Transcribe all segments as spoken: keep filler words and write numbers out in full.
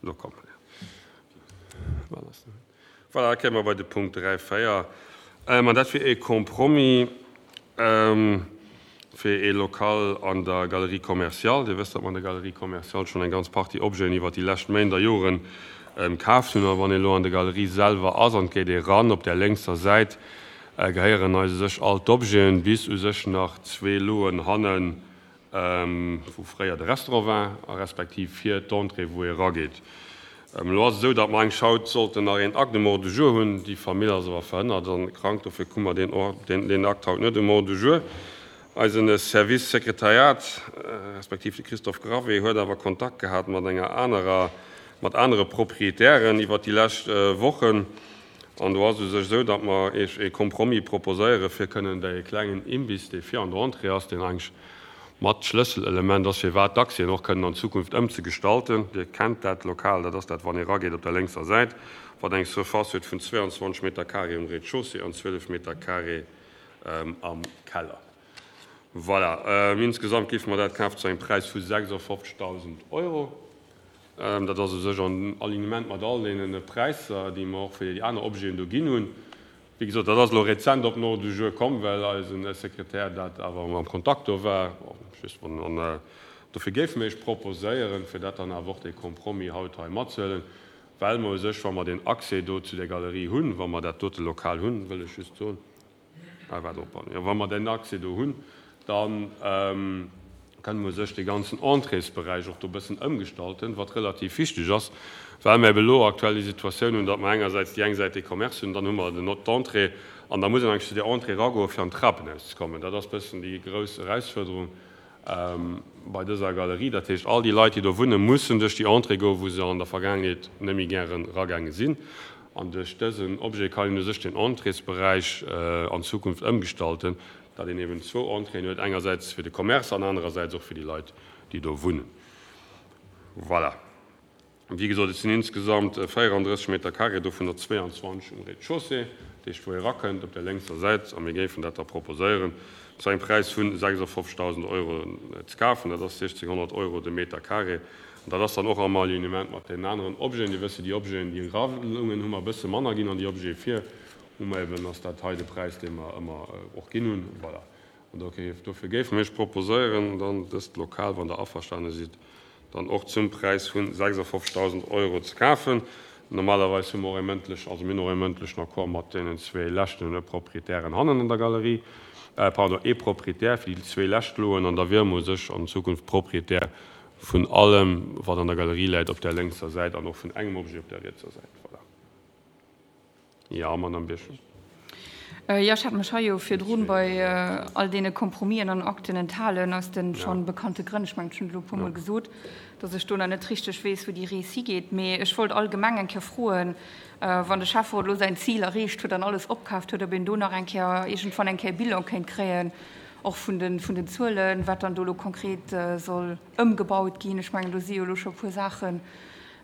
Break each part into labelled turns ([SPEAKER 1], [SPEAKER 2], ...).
[SPEAKER 1] Elo komm. Voilà, da kéime mer bei de Punkt dräi, véier. An dat wier ee Compromis fir ee Lokal an der Galerie commerciale. Dir wësst, datt mer an der Galerie commerciale schonn eng ganz Partie Objeten iwwert déi lescht Méint a Joren kaaft hunn. A wann ee elo an der Galerie selwer ass an et geet ee ran, op där lénkser Säit gehéieren eis u sech all d'Objeten, bis u sech nach zwee Loen hannen, wou fréier de Restaurant war, a respektiv vir d'Entrée, wou ee rageet. Elo ass et esou, datt mer eigentlech haut sollten nach een Acte um Ordre du jour hunn. Déi Famill ass awer verhënnert an krank, dofir hu mer deen Akt haut net um Ordre du jour. Eisen Service Sekretariat, respektiv de Christophe Gravé, huet awer Kontakt gehat mat enger anerer, mat anere Proprietären iwwert déi lescht Wochen. An do ass et u sech esou, datt mer Iech ee Compromis proposéiere fir kënnen dee klengen Imbiss, dee vir an der Entrée ass, deen eigentlech mat d'Schlësselelement ass, firwat d'Accèsen och kënnen an Zukunft ëmzegestalten. Dir kennt dat Lokal, dat ass dat, wann ee rageet op der lénkser Säit, wat eng Surface huet vun zweiundzwanzeg Meter carré um Rez-de-chaussée an zwielef Meter carré am Keller. Voilà, insgesamt géife mer dat kafen zu engem Präis vu sechsundfünfzigtausend Euro. Dat ass u sech an Alignement mat all deene Präisser, déi mer och fir déi aner Objeten do ginn hunn. Wéi gesot, dat ass elo rezent op den Ordre du jour komm, well eisen Sekretär dat awer am Kontakt do war. An dofir géife mir Iech proposéieren, fir dat dann awer och dee Compromis haut hei matzehuelen, well mer u sech, wa mer deen Accès do zu der Galerie hunn, wa mer dat dote Lokal hunn, wëll ech just soen, ah, waart op, jo, wa mer den Accès do hunn, dann kënne mer u sech dee ganzen Entréesberäich och do e bëssen ëmgestalten, wat relativ wichteg ass, well mer eben elo aktuell déi Situatioun hunn, datt mer engersäits déi eng Säit dee Commerce hunn, dann hu mer den d'Entrée an da muss een eigentlech zu där Entrée eragoen, fir an d'Trapenhaus ze kommen. Dat ass e bëssen déi grouss Erausfuerderung bei dëser Galerie. Dat heescht, all déi Leit, déi do wunnen, mussen duerch déi Entrée goen, wou se an der Vergaangenheet net méi gären eragaange sinn. An duerch dësen Objet kann een u sech den Entréesberäich an Zukunft ëmgestalten, datt een eben zwou Entréeën huet, engersäits fir de Commerce an anerersäits och fir déi Leit, déi do wunnen. Voilà. Wéi gesot, et sinn insgesamt véierandrësseg Meter carré, dovunner zweiundzwanzeg um Rez-de-chaussée, dat heescht, wou ee rakënnt op der lénkser Säit, a mir géifen dat da proposéieren, zu engem Präis vu sechsundfünfzigtausend Euro ze kafen. Dat ass sechzehnhundert Euro de Meter carré. An dat ass dann och am Alignement mat den aneren Objeten. Dir wësst, déi Objeten, déi eralungen, hu mer e bësse manner ginn, an déi Objete vir hu mer eben, ass dat hei de Präis, dee mer ëmmer och ginn hunn. Voilà. An dofir géife mir Iech proposéieren, dann dëst Lokal, wann Der averstane sidd, dann och zum Präis vun sechsundfünfzigtausend Euro ze kafen. Normalerweis hu mer och e mëndlech, also mir hunn och e mëndlechen Accord mat deenen zwee leschten Proprietären hannen an der Galerie, äh, pardon, ee Proprietär fir déi zwee lescht Loen, an da wiere mer u sech an Zukunft Proprietär vun allem, wat an der Galerie läit op der lénkser Säit an och vun engem Objet op der rietser Säit. Voilà. Ja, Madame Birchen.
[SPEAKER 2] Jo, ech hat mech hei jo virdrun bei all deene Compromisen an Akten enthalen, aus de schonn bekannte Grënn. Ech mengen, ech hunn et elo e puermol gesot, dass ech do nach net richteg weess, wou déi Rees higeet. Mee ech wollt allgemeng eng Kéier froen, wann de Schäfferot elo säin Zil erreecht huet an alles opkaaft huet, ob een do nach eng Kéier iergendwann eng Kéier e Bilan kéint kréien, och vun de, vun den Zuelen, wat dann do elo konkret soll ëmgebaut ginn. Ech mengen, do si jo elo scho e puer Saachen,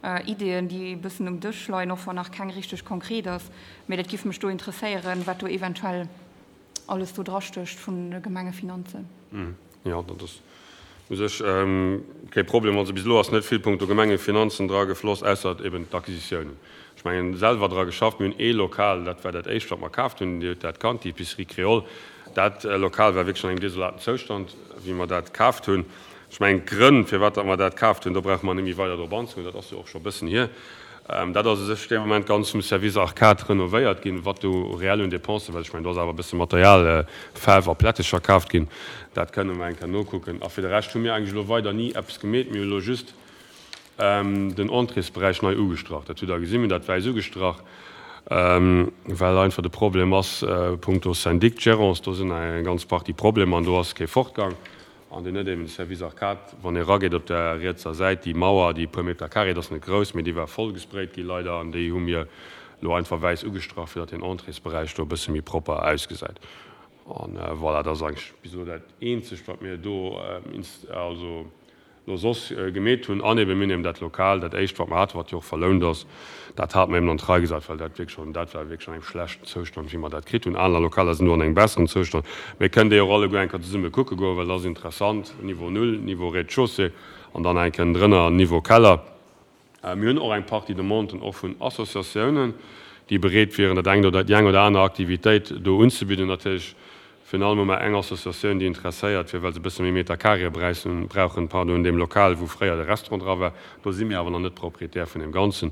[SPEAKER 2] Ideeën, déi e bëssen um Dësch leien, och wann nach keng richteg konkret ass. Mee dat géif mech do interesséieren, wat do eventuell alles do drastécht vun de Gemengefinanzen.
[SPEAKER 1] Jo, dat ass u sech kee Problem. Also bis elo ass net vill punkto Gemengefinanzen dra gefloss, ausser eben d'Acquisitiounen. Ech mengen, selwer dra geschafft. Mir hunn ee Lokal, dat war dat éischt, wat mer kaaft hunn, Dir hutt dat kannt, déi Épicerie Créole. Dat Lokal war wierklech an engem desolaten Zoustand, wéi mer dat kaaft hunn. Ech mengen, d'Grënn, firwat datt mer dat kaaft hunn, do brauche mer net méi weider drop anzegoen, dat ass jo och scho e bëssen hier. Dat ass u sech dee Moment ganz vum Service Arcade renovéiert ginn, wat do reell un Dépensen, well ech mengen, do ass awer e bësse Material, Faarf a Plättecher kaaft ginn, dat kënne mer eng Kéier nokucken. A fir de Rescht hu mir eigentlech elo weider ni eppes gemeet. Mir hu elo just den Entréesberäich nei ugestrach. Dat hutt Der gesinn, mir hunn dat wäiss ugestrach, well einfach de Problem ass punkto Syndic Gérance, do sinn eng ganz Partie Problemer an do ass kee Fortgang. An deen huet eben de Service Arcade, wann ee rageet op der rietser Säit, déi Mauer, déi e puer Meter carré, dat ass net grouss, mee déi war voll gesprayt gi leider, an déi hu mir elo einfach wäiss ugestrach, fir datt den Entréesberäich do e bësse méi propper ausgesäit. An voilà, dat ass eigentlech bis elo dat eenzegt, wat mir do also elo soss gemeet hunn. An eben, mir hunn eben dat Lokal, dat éischt, wat mer haten, wat jo och verlount ass, dat hate mer eben an d'Rei gesat, well dat wierklech schonn, dat war wierklech an engem schlechten Zoustand, wéi mer dat kritt hunn. Aner Lokaler sinn elo an engem besseren Zoustand. Mir kënnen déi och alleguer eng Kéier zesumme kucke goen, well dat ass interessant, Niveau null, Niveau Rez-de-chaussée an dann eng Kéier drënner Niveau Keller. Mir hunn och eng Partie Demanden och vun Associatiounen, déi bereet wieren, dat eng oder déi eng oder aner Aktivitéit do unzebidden. Natierlech virun allem hu mer eng Associatioun, déi interesséiert wier, well se e bësse méi Meter carré brauchen, pardon, an deem Lokal, wou fréier de Restaurant dra war. Do si mir awer nach net Proprietär vun deem Ganzen.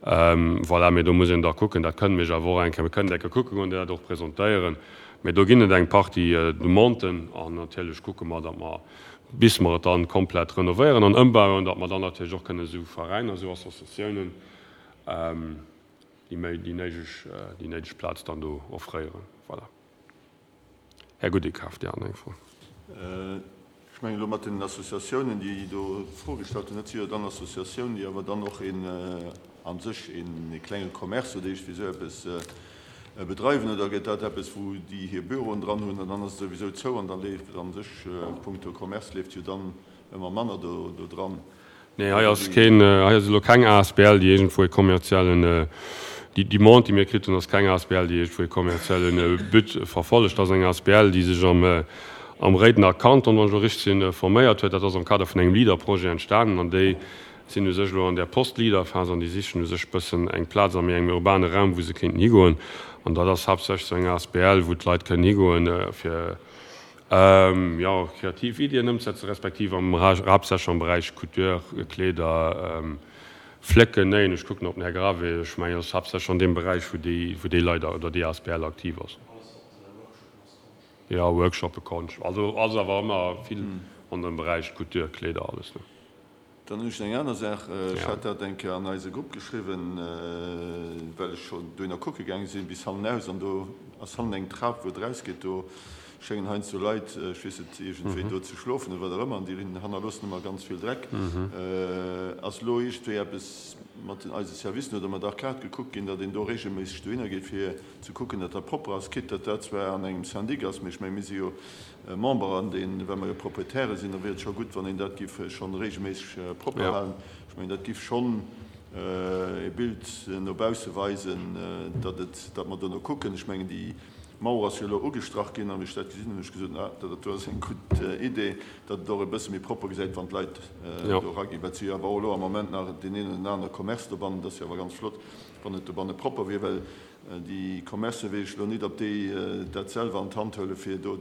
[SPEAKER 1] Voilà, mee do muss een da kucken. Dat kënne mir iech awer och eng Kéier, mir kënnen et eng Kéier kucke goen, dir dat och presentéieren. Mee do ginn et eng Partie Demanden an natierlech kucke mer, datt mer, bis mer et dann komplett renovéieren an ëmbauen, datt mer dann natierlech och kënnen esou Veräiner, esou Associatiounen déi méi, déi néideg, déi néideg Plaz dann do offréieren. Voilà. Här Goudekaf, Dir hat eng Fro.
[SPEAKER 3] Ech mengen elo mat den Associatiounen, déi do d'Fro gestallt hunn, dat si jo dann Associatiounen, déi awer dann och een a sech ee klenge Commerce oder iergendwéi esou eppes bedreiwen. Oder gëtt dat eppes, wou déi hir Büroen dran hunn an dann ass et souwisou zou an da leeft a sech punkto Commerce leeft jo dann ëmmer manner do dran?
[SPEAKER 1] Nee, hei ass keen, hei ass elo keng asbl, déi iergendwou e kommerziellen, déi Demande, déi mir kritt hunn, ass keng asbl, déi iergendwou e kommerzielle But verfollegt. Dat ass eng asbl, déi sech am, am Réidener Kanton, wann ech elo richteg sinn, forméiert huet. Dat ass am Kader vun engem Leader-Projet entstanen an déi sinn u sech elo an där Post-Leader-Phas an déi sichen u sech e bëssen eng Plaz a méi engem urbane Raum, wou se kéinten higoen. An dat ass haaptsächlech esou eng asbl, wou d'Leit kënnen higoen, fir, jo, kreativ Iddien ëmzesetzen, respektiv am, haaptsächlech am Beräich Couture, Kleeder, Flécken, néien. Ech kucken op den Här Gravé. Ech mengen, et ass haaptsächlech an deem Beräich, wou déi, wou déi Leit oder déi asbl aktiv ass. Jo, Workshoppe, Konscht, also ass awer ëmmer vill an dem Beräich Couture, Kleeder, alles, ne.
[SPEAKER 3] Dann hunn ech nach eng aner Saach. Ech hat dat eng Kéier an eise Grupp geschriwwen, well ech schonn dohinner kucke gaange sinn, bis hannenaus. An do ass hannen eng Trap, wou et erausgeet. Do schéngen heiansdo Leit, ech weess net, iergendwéi do ze schlofen oder wat och ëmmer. An déi hannerloossen ëmmer ganz vill Dreck. Ass elo iergendwéi eppes mat den eise Servicen oder mat Arcade gekuckt ginn, datt een do reegelméisseg dohinner geet, fir ze kucken, datt dat propper ass, quitte datt dat zwar an engem Syndic ass, mee ech menge mir si jo Member an deen, well mer jo Proprietäre sinn, da wier et scho gutt, wann een dat giff schonn regelméisseg propper halen. Ech mengen, dat giff schonn e Bild no bausse weisen, datt et, datt mer dono kucken. Ech mengen, déi Mauer ass jo elo ugestrach ginn, a wéi ech dat gesinn hunn, hunn ech gesot, ah, dat do ass eng gutt Idee, datt et och e bësse méi propper gesäit, wann d'Leit do eraginn. Wat si jo awer och elo am Moment nach deen een oder den anere Commerce dobannen, dat ass jo awer ganz flott, wann et dobanne propper wier, well Déi Commercen weess ech elo nit, ob déi dat selwer an d'Hand huelen, fir do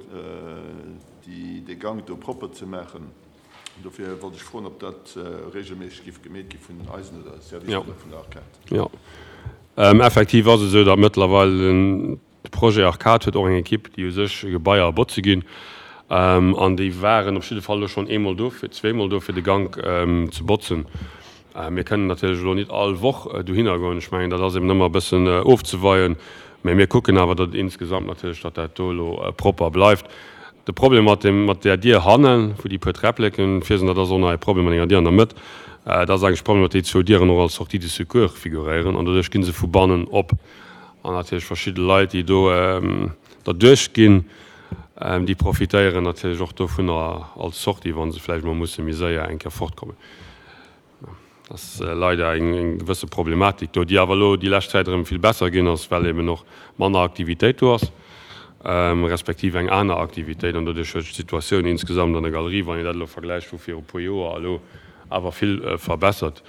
[SPEAKER 3] dee Gank do propper ze maachen. Dofir wollt ech froen, ob dat regelméisseg géif gemeet gi vun eisen oder Servicer oder vun der Arcade.
[SPEAKER 1] Jo, effektiv ass et esou, datt mëttlerweil de Projet Arcade huet och eng Ekipp, déi u sech Gebaier botze ginn. An déi waren op jidde Fall elo schonn eemol do, zweemol do, fir de Gank ze botzen. Mir kënnen natierlech elo nit all Woch dohinner goen. Ech mengen, dat ass eben ëmmer e bëssen ofzeweien. Mä mir kucken awer, datt et insgesamt natierlech, datt dat do elo propper bleift. De Problem mat deem, mat där Dier hannen, wou déi puer Träppleken vir sinn, dat ass och nach e Problem mat enger Dier an der Mëtt. Dat ass eigentlech de Problem, datt déi zwou Dieren och als Sortie de secours figuréieren an doduerch gi se vu bannen op. An natierlech verschidde Leit, déi do derduerch ginn, déi profitéieren natierlech och dovunner als Sortie, wa se vläicht emol musse méi séier eng Kéier fortkommen. Dat ass leider eng gewësse Problematik do, déi awer elo déi lescht Zäit erëm vill besser ginn ass, well eben och manner Aktivitéit do ass, respektiv eng aner Aktivitéit. An doduerch huet sech d'Situatioun insgesamt an der Galerie, wann een dat elo vergläicht vu viru puer Joer a elo, awer vill verbessert.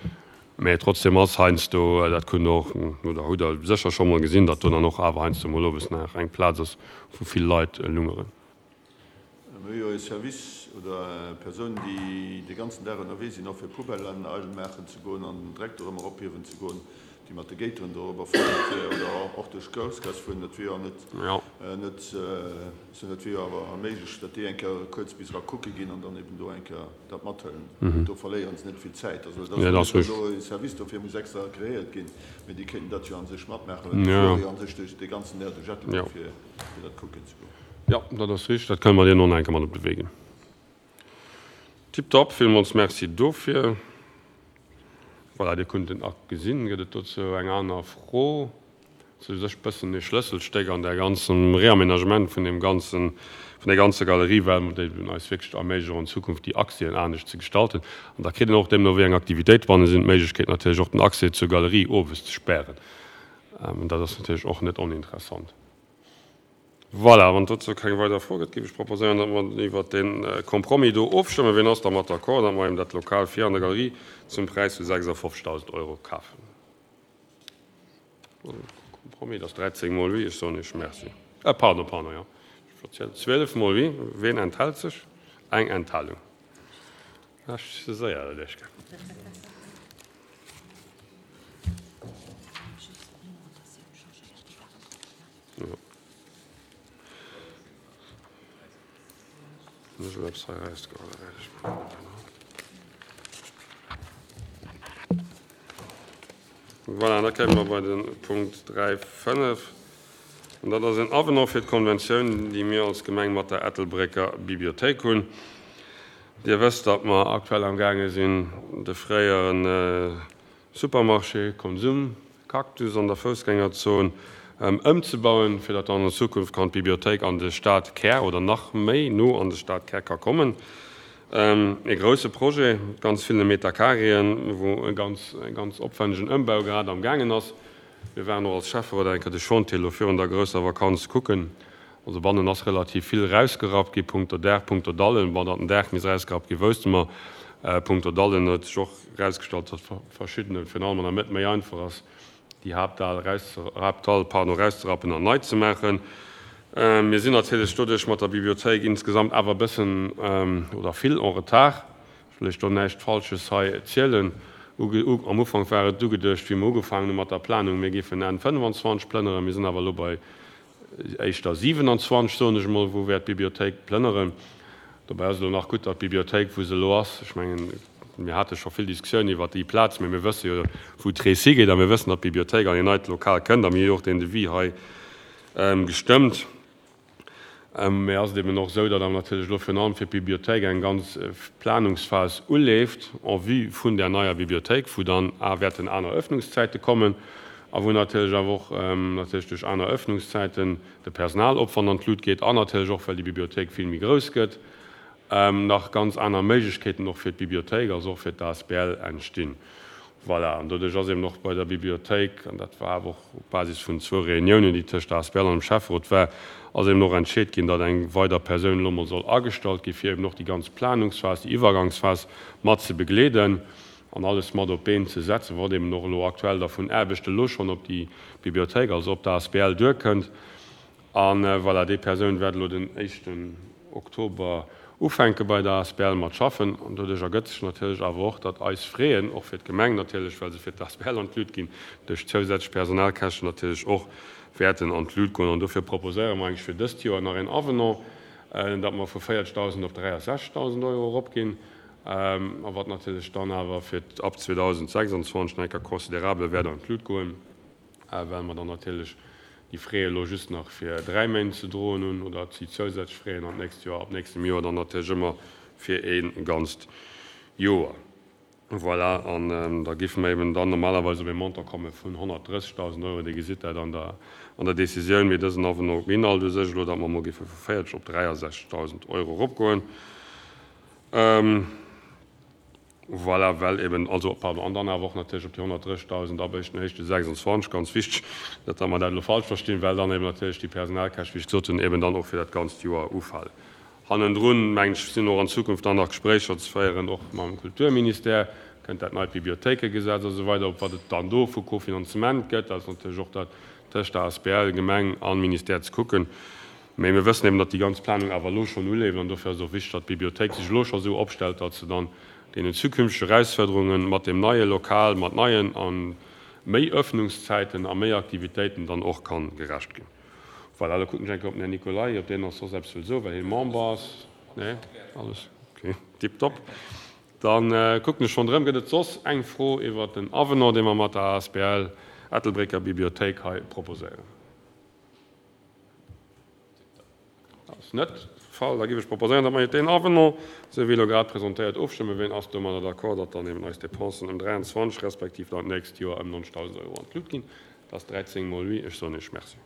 [SPEAKER 1] Mä trotzdem ass heiansdo, dat kënnt Der och oder hutt Der sécher scho mol gesinn, datt do dann och awer heiansdo mol owes nach eng Plaz ass, wou vill Leit lungeren.
[SPEAKER 3] Mir hu jo e Service oder Persounen, déi de ganzen Dag ënnerwee sinn, och fir Poubellen eidel maachen ze goen an den Dreck dorëmmer ophiewen ze goen, déi mat de Géiteren dorobber fueren oder och duerch d'Groussgaass fueren. Dat wier jo net, net, dat wier jo awer méiglech, datt déi eng Kéier kuerz bis era kucke ginn an dann eben do eng Kéier dat mathëlen. Do verléiere se net vill Zäit. Also et ass jo net, datt elo e Service dofir muss extra kreéiert ginn, mee déi kéinten dat jo a sech matmaachen, well déi fuere jo a sech duerch de ganzen Dag duerch Ettelbréck fir dat kucken ze goen.
[SPEAKER 1] Jo, dat ass richteg. Dat kënne mer deenen och nach eng Kéier mat op de Wee ginn. Tiptop, villmools Merci dofir. Voilà, Dir kunnt den Akt gesinn. Gëtt et dozou eng aner Fro? Dat ass u sech e bëssen e Schlësselstéck an där ganzem Réaménagement vun deem ganzen, vun där ganzer Galerie, well mer déi eis wierklech erméiglechen, an Zukunft déi Accèsen anescht ze gestalten. An da kritt een och, deemno wéi eng Aktivitéit banne sinn, d'Méiglechkeet natierlech och den Accès zur Galerie owes ze spären. Dat ass natierlech och net oninteressant. Voilà, wann dozou keng weider Fro gëtt, géif ech proposéieren, datt mer iwwert dee Compromis do ofstëmmen. Wien ass dermat d'accord, datt mer eben dat Lokal vir an der Galerie zum Präis vu sechsundfünfzigtausend Euro kafen? Compromis, dat ass dräizéng mol oui, ech soen Iech Merci. Äh, pardon, pardon, jo. Ech verzielt. Zwielef mol oui. Wien enthält sech? Eng Enthalung. Ech ze séier, dat Iech. Jo. Voilà, da kéime mer bei de Punkt dräi fënnef. An dat ass en Avenant fir d'Konventioun, déi mir als Gemeng mat der Ettelbrécker Bibliothéik hunn. Dir wësst, datt mer aktuell amgaange sinn, de fréiere Supermarché Konsum Cactus an der Foussgängerzon ëmzebauen, fir datt dann an Zukunft kann d'Bibliothéik an de Stadkär oder nach méi no an de Stadkär ka kommen. E grousse Projet, mat ganz ville Metercarréen, wou e ganz, e ganz opwännegen Ëmbau grad am gaangen ass. Mir waren och als Schäfferot eng Kéier de Chantier elo virun der grousser Vakanz kucken. Also bannen ass relativ vill erausgerappt gi punkto Daach, punkto Dallen. Bon, datt den Daach misst erausgerappt gi wousste mer. Punkto Dallen huet sech och erausgestallt, datt verschiddene, virun allem an der Mëtt, méi einfach ass, déi Haaptdall Haapthall, pardon, erauszerappen an nei ze maachen. Mir sinn natierlech doduerch mat der Bibliothéik insgesamt awer e bëssen oder vill en retard. Ech wëll Iech do näischt Falsches hei zielen. Am Ufank war et ugeduecht, wéi mer ugefaangen hu mat der Planung, mir géifen Enn fënnefanzwanzeg plënneren. Mir sinn awer elo bei éischter siewenundzwanzeg, soen ech emol, wou wäert d'Bibliothéik plënneren. Dobäi ass et elo nach gutt, datt d'Bibliothéik, wou se elo ass, ech mengen, mir hate scho vill Diskussiounen iwwert déi Plaz, mä mir wësse jo, wou d'Rees higeet a mir wëssen, datt d'Bibliothéik an een neit Lokal kënnt a mir hu jo och deen Devis hei gestëmmt. Mä ass et eben och esou, datt awer natierlech elo virun allem fir d'Bibliothéik eng ganz Planungsphas uleeft en vue vun där neier Bibliothéik, wou dann a wäerten aner Öffnungszäite kommen a wou natierlech awer och natierlech duerch aner Öffnungszäiten de Personalopwand an d'Lut geet an natierlech och, well déi Bibliothéik vill méi grouss gëtt, nach ganz aner Méiglechkeeten och fir d'Bibliothéik, also och fir d'A S B L entstinn. Voilà, an doduerch ass eben och bei der Bibliothéik, an dat war awer och op Basis vun zwou Reuniounen, déi tëscht der A S B L an dem Schäfferot war, ass eben och entscheet ginn, datt eng weider Persoun elo mol soll agestallt gi fir eben och déi ganz Planungsphas, déi Iwwergangsphas mat ze begleeden an alles mat op d'Been ze setzen, wat eben och elo aktuell da vun Aarbecht elo schonn op déi Bibliothéik, also op d'A S B L duerkënnt. A voilà, déi Persoun wäert elo den éischten Oktober ufänke bei der A S B L mat schaffen. An doduerch ergëtt sech natierlech awer och, datt eis Fräen, och fir d'Gemeng natierlech, well se fir d'A S B L an d'Lut ginn, duerch zousätzlech Personalkäschten natierlech och wäerten an d'Lut goen. An dofir proposéiere mer eigentlech fir dëst Joer nach een Avenant, datt mer vu véierzegdausend op dräiasechzegdausend Euro eropginn, a wat natierlech dann awer fir ab zweedausendsechsundzwanzeg nach eng Kéier considerabel wäert an d'Lut goen, well mer dann natierlech déi Frais elo just nach fir dräi Méint ze droen hunn oder déi zousätzlech Frais an d'nächst Joer, ab nächstem Joer dann natierlech ëmmer fir ee ganzt Joer. Voilà, an da géife mer eben dann normalerweis op ee Montant komme vun honnertdrëssegdausend Euro. Dir gesitt dat an der, an der Décisioun, mee dësen Avenant beinhalt u sech elo, datt mer emol géife vu véierzeg op dräiasechzegdausend Euro eropgoen. Voilà, well eben, also, pardon, an dann awer och natierlech op déi honnertdrëssegdausend ab éischten éischte sechsundzwanzeg, ganz wichteg, net datt mer dat elo falsch verstinn, well dann eben natierlech déi Personalkäscht, wéi ech gesot hunn, eben dann och fir dat ganzt Joer ufalen. Hannendrun, mengen ech, sinn och an Zukunft dann nach Gespréicher ze féieren, och mam Kulturministère, kënnt dat neit Bibliothéikegesetz a sou weider, op wat et dann do vu Kofinanzement gëtt, dat ass natierlech och dat tëscht der A S B L, Gemeng a Ministère ze kucken. Mä mir wëssen eben, datt déi ganz Planung awer elo schonn uleeft, an dofir ass et och wichteg, datt d'Bibliothéik sech elo scho sou opstellt, datt se dann deenen zukünftege Erausfuerderunge mat deem neie Lokal, mat neien a méi Öffnungszäiten a méi Aktivitéiten dann och ka gerecht ginn. Voilà, elo kucken ech eng Kéier op den Här Nicolay, ob deen nach soss eppes wëll soen, well hie Member ass. Nee? Alles okay, tiptop. Da kucken ech ronderëm, gëtt et soss eng Fro iwwert den Avenant, dee mer mat der A S B L Ettelbrécker Bibliothéik hei proposéieren? Ass net de Fall. Da géif ech proposéieren, datt mer iwwert deen Avenant, esou wéi elo grad presentéiert, ofstëmmen. Wien ass domadder d'accord, datt dann eben eis Dépensen ëm dräianzwanzeg respektiv dann d'nächst Joer ëm neunzigtausend Euro an d'Lut ginn? Dat ass dräizéng mol oui. Ech soen Iech Merci.